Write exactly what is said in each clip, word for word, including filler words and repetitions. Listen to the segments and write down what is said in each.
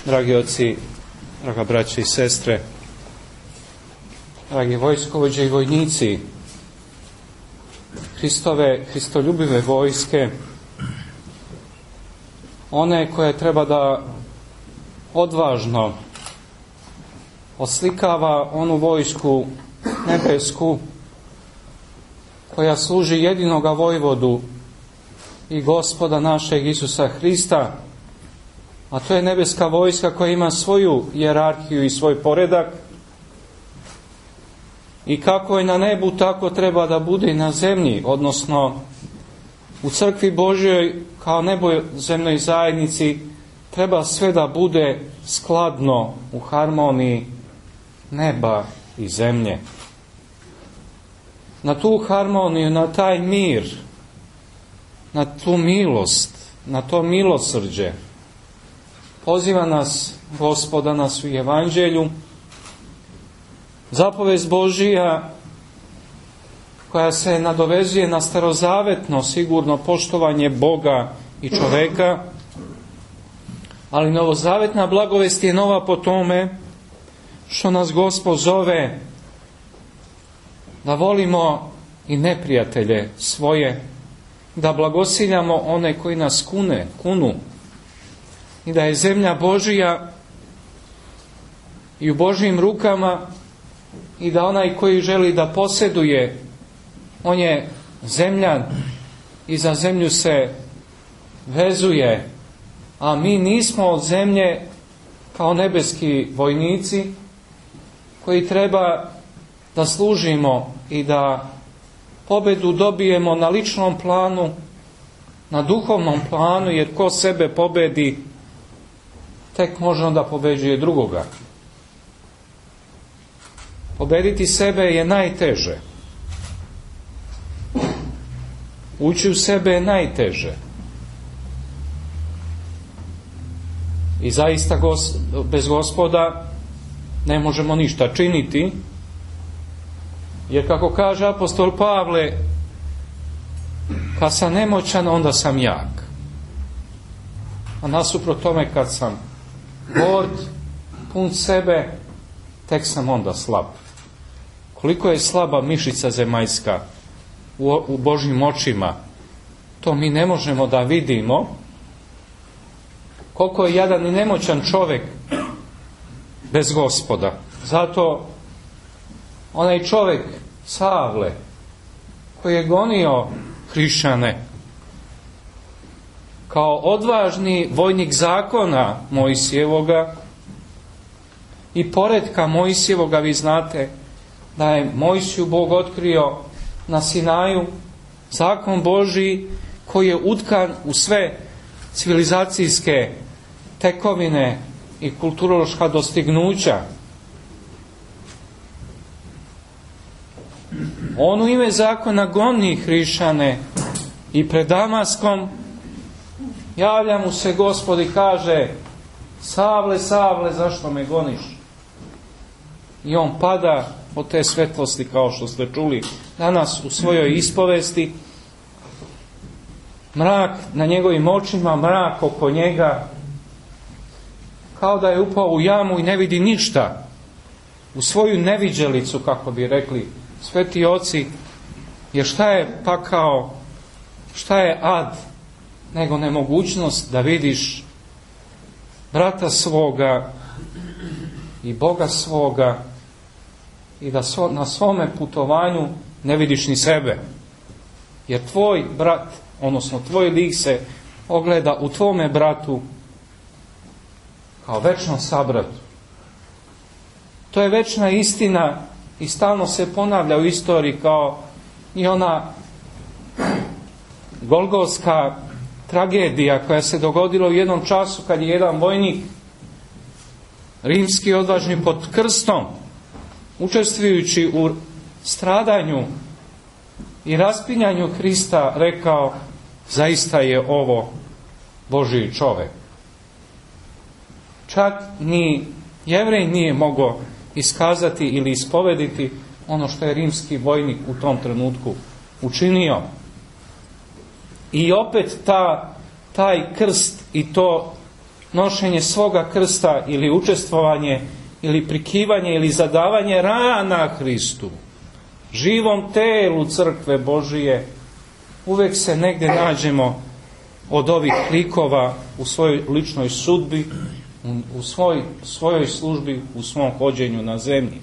Dragi oci, draga braće i sestre, dragi vojskovođe i vojnici, Hristove, Hristoljubive vojske, one koje treba da odvažno oslikava onu vojsku nebesku koja služi jedinoga vojvodu i Gospoda našeg Isusa Hrista, a to je nebeska vojska koja ima svoju hijerarhiju i svoj poredak, i kako je na nebu, tako treba da bude i na zemlji, odnosno u crkvi Božjoj kao nebozemnoj zajednici treba sve da bude skladno u harmoniji neba i zemlje. Na tu harmoniju, na taj mir, na tu milost, na to milosrđe poziva nas Gospoda nas u Evanđelju. Zapovest Božija koja se nadovezuje na starozavetno sigurno poštovanje Boga i čoveka, ali novozavetna blagovest je nova po tome što nas Gospod zove da volimo i neprijatelje svoje, da blagosiljamo one koji nas kune, kunu, i da je zemlja Božija i u Božjim rukama, i da onaj koji želi da posjeduje, on je zemljan i za zemlju se vezuje, a mi nismo od zemlje kao nebeski vojnici koji treba da služimo i da pobedu dobijemo na ličnom planu, na duhovnom planu, jer ko sebe pobedi, tek može onda pobeđuje drugoga. Pobediti sebe je najteže. Ući u sebe je najteže. I zaista bez Gospoda ne možemo ništa činiti, jer kako kaže apostol Pavle, kad sam nemoćan, onda sam jak. A nasuprot tome, kad sam gord, pun sebe, tek sam onda slab. Koliko je slaba mišica zemaljska u, u Božjim očima, to mi ne možemo da vidimo. Koliko je jadan i nemoćan čovjek bez Gospoda. Zato onaj čovjek Savle koji je gonio hrišćane kao odvažni vojnik zakona Mojsijevoga i poretka Mojsijevoga, vi znate da je Mojsiju Bog otkrio na Sinaju zakon Božji koji je utkan u sve civilizacijske tekovine i kulturološka dostignuća. On u ime zakona goni hrišćane i pred Damaskom javlja mu se Gospod i kaže: Savle, Savle, zašto me goniš? I on pada od te svetlosti, kao što ste čuli danas u svojoj ispovesti. Mrak na njegovim očima, mrak oko njega, kao da je upao u jamu i ne vidi ništa. U svoju neviđelicu, kako bi rekli sveti oci, jer šta je pakao, šta je ad, nego nemogućnost da vidiš brata svoga i Boga svoga i da so, na svome putovanju ne vidiš ni sebe. Jer tvoj brat, odnosno tvoj lik se ogleda u tvome bratu kao večnom sabratu. To je večna istina i stalno se ponavlja u istoriji, kao i ona golgotska tragedija koja se dogodila u jednom času kad je jedan vojnik rimski odvažni pod krstom, učestvujući u stradanju i raspinjanju Hrista, rekao: zaista je ovo Božji čovjek. Čak ni Jevrej nije mogao iskazati ili ispovediti ono što je rimski vojnik u tom trenutku učinio. I opet ta taj krst i to nošenje svoga krsta ili učestvovanje ili prikivanje ili zadavanje rana Hristu, živom telu crkve Božije, uvijek se negdje nađemo od ovih likova u svojoj ličnoj sudbi, u svoj, svojoj službi, u svom hođenju na zemlji.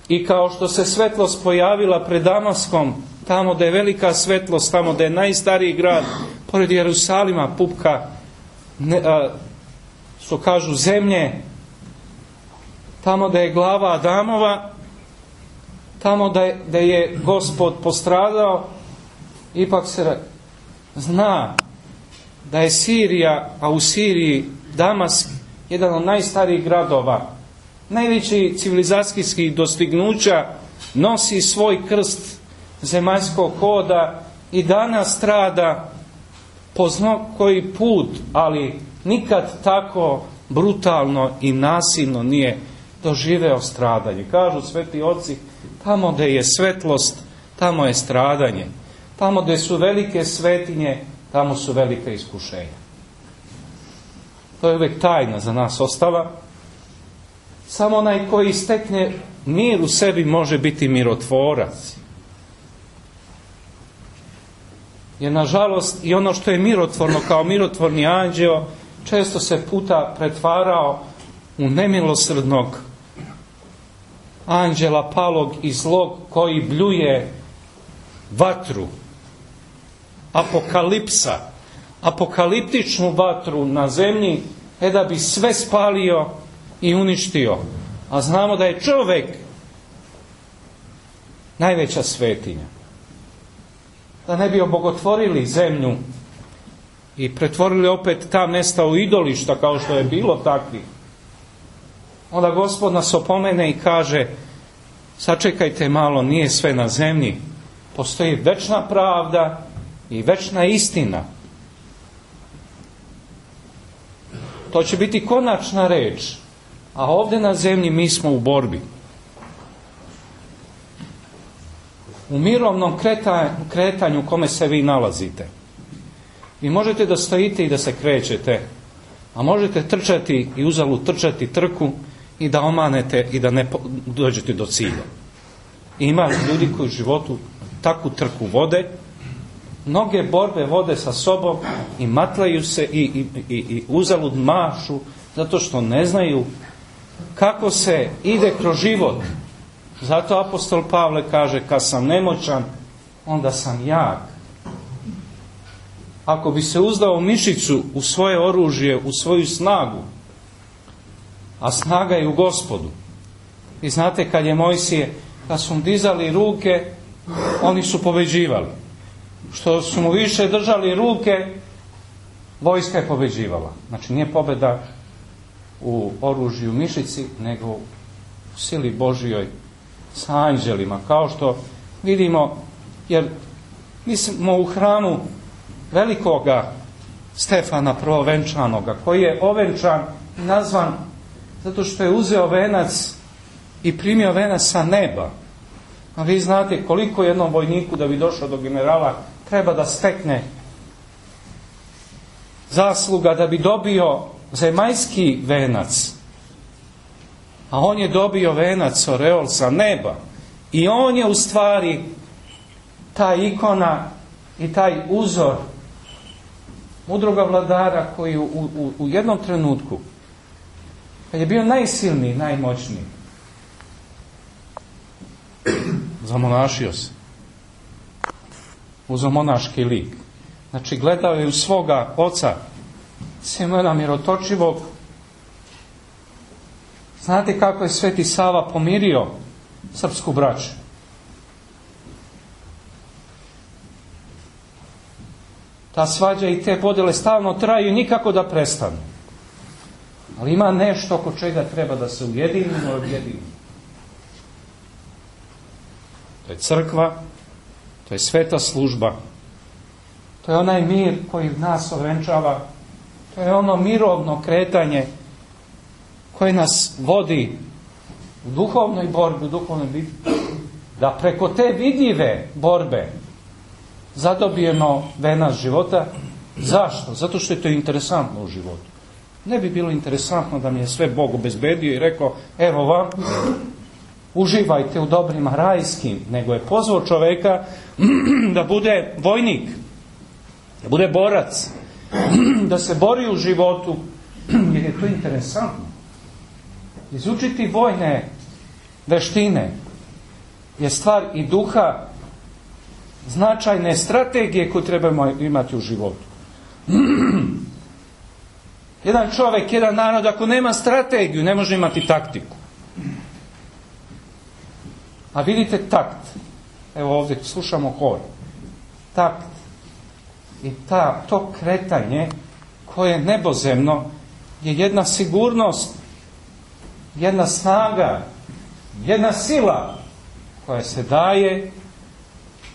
I kao što se svetlost pojavila pred Damaskom, tamo da je velika svetlost, tamo da je najstariji grad, pored Jerusalima, pupka, ne, a, što kažu zemlje, tamo da je glava Adamova, tamo da je, da je Gospod postradao, ipak se zna da je Sirija, a u Siriji Damask, jedan od najstarijih gradova, najveći civilizacijskih dostignuća, nosi svoj krst zemaljskog hoda i danas strada po zno koji put, ali nikad tako brutalno i nasilno nije doživeo stradanje. Kažu sveti oci, tamo gdje je svetlost, tamo je stradanje. Tamo gdje su velike svetinje, tamo su velike iskušenja. To je uvijek tajna za nas ostala. Samo onaj koji stekne mir u sebi može biti mirotvorac. Jer nažalost i ono što je mirotvorno kao mirotvorni anđeo često se puta pretvarao u nemilosrdnog anđela palog i zlog koji bljuje vatru, apokalipsa, apokaliptičnu vatru na zemlji, e da bi sve spalio i uništio. A znamo da je čovjek najveća svetinja. Da ne bi obogotvorili zemlju i pretvorili opet ta mjesta u idolišta kao što je bilo takvi. Onda Gospod nas opomene i kaže, sačekajte malo, nije sve na zemlji. Postoji večna pravda i večna istina. To će biti konačna reč. A ovdje na zemlji mi smo u borbi. U mirovnom kretanju u kome se vi nalazite. Vi možete da stojite i da se krećete, a možete trčati i uzalud trčati trku i da omanete i da ne dođete do cilja. I ima ljudi koji u životu takvu trku vode, mnoge borbe vode sa sobom i matlaju se i, i, i, i uzalud mašu zato što ne znaju kako se ide kroz život. Zato apostol Pavle kaže, kad sam nemoćan, onda sam jak. Ako bi se uzdao mišicu u svoje oružje, u svoju snagu, a snaga je u Gospodu. I znate, kad je Mojsije, kad su mu dizali ruke, oni su pobeđivali. Što su mu više držali ruke, vojska je pobeđivala. Znači nije pobjeda u oružju mišici, nego u sili Božjoj sa anđelima. Kao što vidimo, jer mi smo u hramu velikoga Stefana prvovenčanoga, koji je ovenčan i nazvan zato što je uzeo venac i primio venac sa neba. A vi znate koliko jednom vojniku da bi došao do generala treba da stekne zasluga da bi dobio zemaljski venac. A on je dobio venac, oreol sa neba. I on je u stvari ta ikona i taj uzor mudroga vladara koji u, u, u jednom trenutku, kad je bio najsilniji, najmoćniji, zamonašio se. Uzeo monaški lik. Znači gledao je u svoga oca Simona Mirotočivog. Znate kako je Sveti Sava pomirio srpsku braću? Ta svađa i te podjele stalno traju i nikako da prestanu. Ali ima nešto oko čega treba da se ujedinimo i objedinimo. To je crkva, to je sveta služba, to je onaj mir koji nas ovenčava, to je ono mirovno kretanje koje nas vodi u duhovnoj borbi, u duhovnoj bitki, da preko te vidljive borbe zadobijemo venac života. Zašto? Zato što je to interesantno u životu. Ne bi bilo interesantno da mi je sve Bog obezbedio i rekao, evo vam, uživajte u dobrima rajskim, nego je pozvao čoveka da bude vojnik, da bude borac, da se bori u životu, jer je to interesantno. Izučiti vojne veštine je stvar i duha, značajne strategije koju trebamo imati u životu. Jedan čovjek, jedan narod, ako nema strategiju, ne može imati taktiku. A vidite takt. Evo ovdje slušamo hor. Takt. I ta, to kretanje koje je nebozemno je jedna sigurnost, jedna snaga, jedna sila koja se daje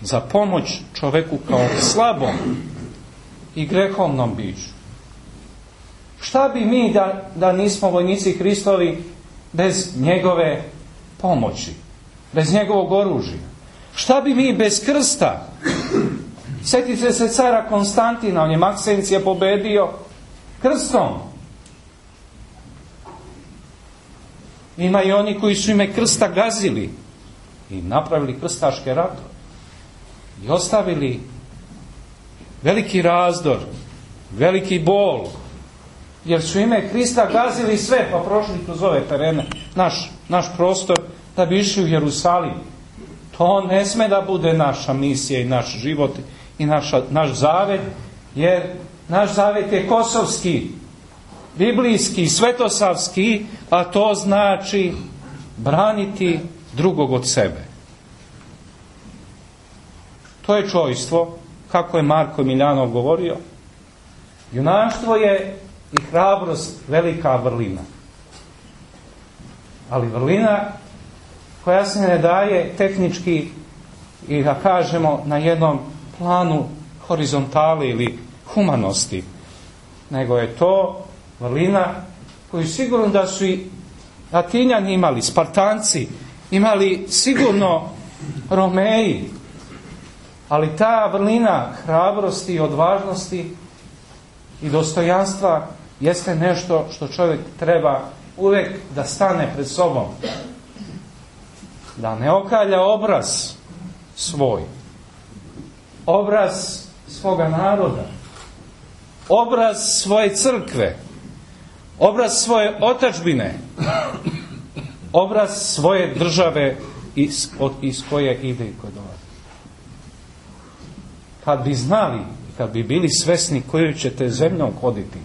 za pomoć čovjeku kao slabom i grehovnom biću. Šta bi mi da, da nismo vojnici Hristovi bez njegove pomoći, bez njegovog oružja? Šta bi mi bez krsta? Sjetite se cara Konstantina, on je Maksencija pobedio krstom. Ima i oni koji su ime krsta gazili i napravili krstaške ratove i ostavili veliki razdor, veliki bol, jer su ime Krista gazili sve, pa prošli kroz ove terene, naš, naš prostor, da bi išli u Jerusalim. To ne sme da bude naša misija i naš život i naša, naš zavet, jer naš zavet je kosovski, biblijski, svetosavski, a to znači braniti drugog od sebe. To je čojstvo, kako je Marko Miljanov govorio. Junaštvo je i hrabrost velika vrlina. Ali vrlina koja se ne daje tehnički i da kažemo na jednom planu horizontali ili humanosti, nego je to vrlina koju sigurno da su i Atinjani imali, Spartanci, imali sigurno Romeji, ali ta vrlina hrabrosti i odvažnosti i dostojanstva jeste nešto što čovjek treba uvijek da stane pred sobom. Da ne okalja obraz svoj, obraz svoga naroda, obraz svoje crkve, obraz svoje otadžbine, obraz svoje države iz, od, iz koje ide i koje dolazi. Kad bi znali, kad bi bili svesni koju ćete zemljom hoditi,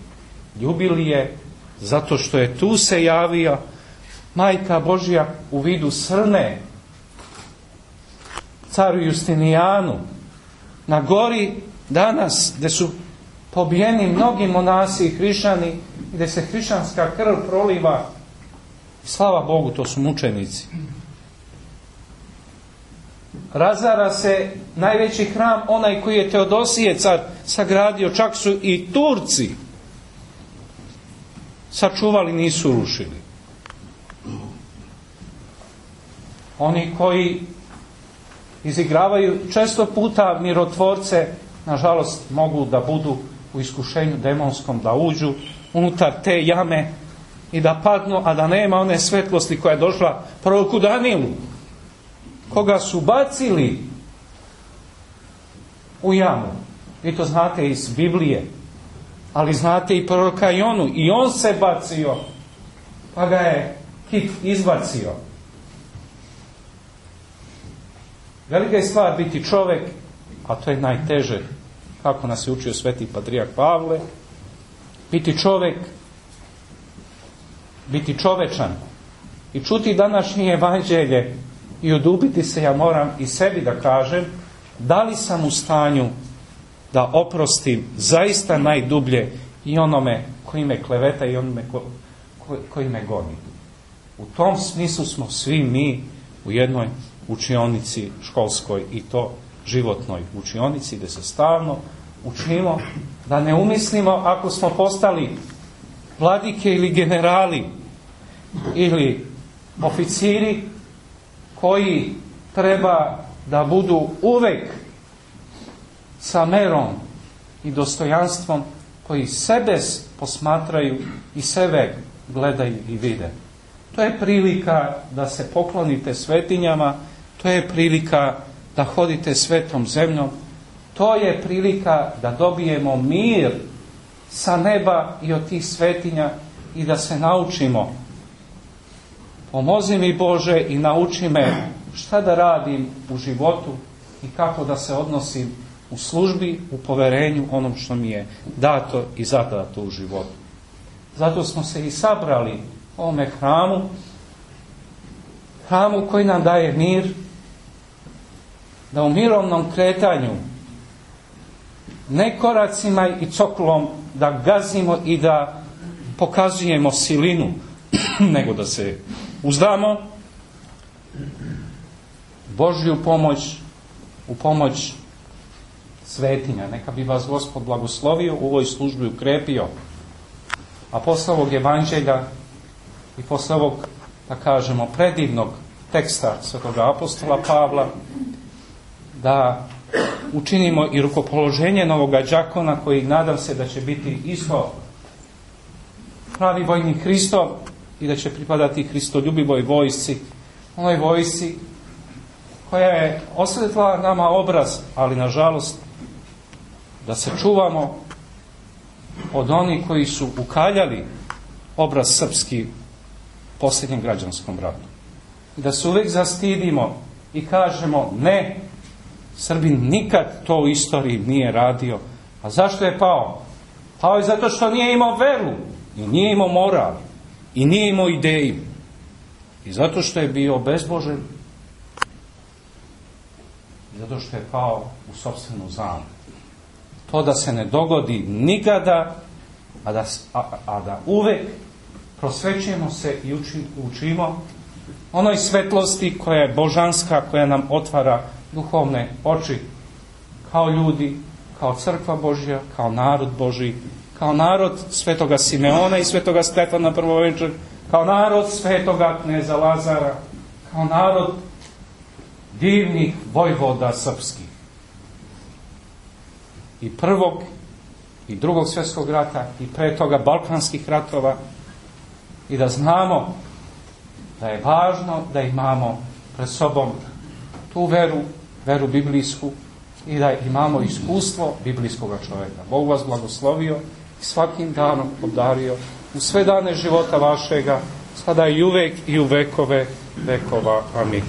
ljubili je zato što je tu se javio Majka Božja u vidu srne caru Justinijanu, na gori danas gdje su pobijeni mnogi monasi i hrišćani i gdje se hrišćanska krv proliva. Slava Bogu, to su mučenici. Razara se najveći hram, onaj koji je Teodosije car sagradio, čak su i Turci sačuvali, nisu rušili. Oni koji izigravaju često puta mirotvorce, nažalost mogu da budu u iskušenju demonskom, da uđu unutar te jame i da padnu, a da nema one svetlosti koja je došla proroku Danielu, koga su bacili u jamu. Vi to znate iz Biblije, ali znate i proroka Jonu, i on se bacio, pa ga je kit izbacio. Velika je stvar biti čovjek, a to je najteže, kako nas je učio sveti patrijarh Pavle, biti čovjek, biti čovečan i čuti današnje evanđelje i odupiti se, ja moram i sebi da kažem, da li sam u stanju da oprostim zaista najdublje i onome koji me kleveta i onome ko, ko, koji me goni. U tom smislu smo svi mi u jednoj učionici školskoj, i to životnoj učionici, gdje se stalno učimo da ne umislimo ako smo postali vladike ili generali ili oficiri koji treba da budu uvek sa merom i dostojanstvom koji sebe posmatraju i sebe gledaju i vide. To je prilika da se poklonite svetinjama, to je prilika da hodite svetom zemljom, to je prilika da dobijemo mir sa neba i od tih svetinja i da se naučimo. Pomozi mi Bože i nauči me šta da radim u životu i kako da se odnosim u službi, u poverenju onom što mi je dato i zadato u životu. Zato smo se i sabrali u ovome hramu, hramu koji nam daje mir, da u mirovnom kretanju, ne koracima i coklom da gazimo i da pokazujemo silinu, nego da se uzdamo Božju pomoć, u pomoć svetinja. Neka bi vas Gospod blagoslovio, u ovoj službi ukrepio. A posle ovog evanđelja i posle ovog, da kažemo, predivnog teksta svetog apostola Pavla, da učinimo i rukopoloženje novoga đakona, koji nadam se da će biti isto pravi vojnik Hristov i da će pripadati hristoljubivoj vojsci, onoj vojsci koja je osvetla nama obraz, ali nažalost da se čuvamo od onih koji su ukaljali obraz srpski u posljednjem građanskom ratu. I da se uvijek zastidimo i kažemo ne, Srbin nikad to u istoriji nije radio. A zašto je pao? Pao je zato što nije imao veru i nije imao moral i nije imao ideju. I zato što je bio bezbožan i zato što je pao u sopstvenu zamku. To da se ne dogodi nikada, a da, a, a da uvek prosvećujemo se i uči, učimo onoj svetlosti koja je božanska, koja nam otvara duhovne oči kao ljudi, kao crkva Božja, kao narod Božji, kao narod svetoga Simeona i svetoga Stefana prvovenčanog, kao narod svetoga kneza Lazara, kao narod divnih vojvoda srpskih. I prvog i drugog svjetskog rata i pre toga balkanskih ratova, i da znamo da je važno da imamo pred sobom tu veru, veru biblijsku, i da imamo iskustvo biblijskog čovjeka. Bog vas blagoslovio i svakim danom obdario u sve dane života vašega, sada i uvek i u vekove vekova. Amin.